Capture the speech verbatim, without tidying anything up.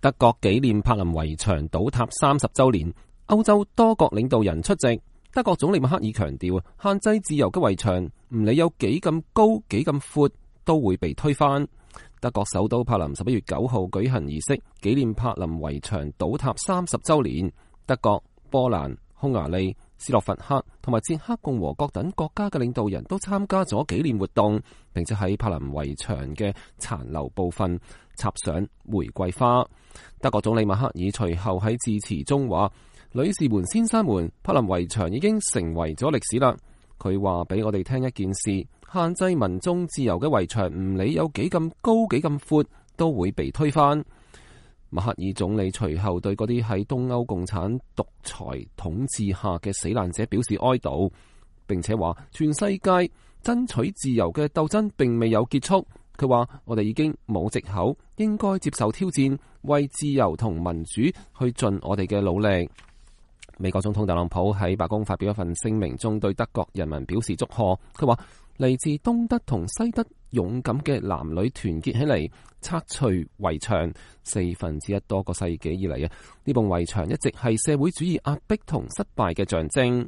德國紀念柏林圍牆倒塌三十週年，歐洲多國領導人出席。德國總理默克爾強調，限制自由嘅圍牆唔理有幾咁高幾咁闊，都會被推翻。德國首都柏林十一月九號舉行儀式，紀念柏林圍牆倒塌三十週年。德國、波蘭、匈牙利、斯洛伐克同埋捷克共和國等國家嘅領導人都參加咗紀念活動，並且喺柏林圍牆嘅殘留部分插上玫瑰花。德國總理默克爾隨後喺致辭中話：女士們、先生們，柏林圍牆已經成為咗歷史啦。佢話俾我哋聽一件事：限制民眾自由嘅圍牆，唔理有幾咁高幾咁闊，都會被推翻。默克爾總理隨後對嗰啲喺東歐共產獨裁統治下嘅死難者表示哀悼，並且話全世界爭取自由嘅鬥爭並未有結束。佢話我哋已經冇藉口，應該接受挑戰，為自由同民主去盡我哋嘅努力。美國總統特朗普喺白宮發表一份聲明中，對德國人民表示祝賀。佢話嚟自東德同西德勇敢嘅男女團結起嚟，拆除圍牆。四分之一多個世紀以嚟啊，呢埲圍牆一直係社會主義壓迫同失敗嘅象徵。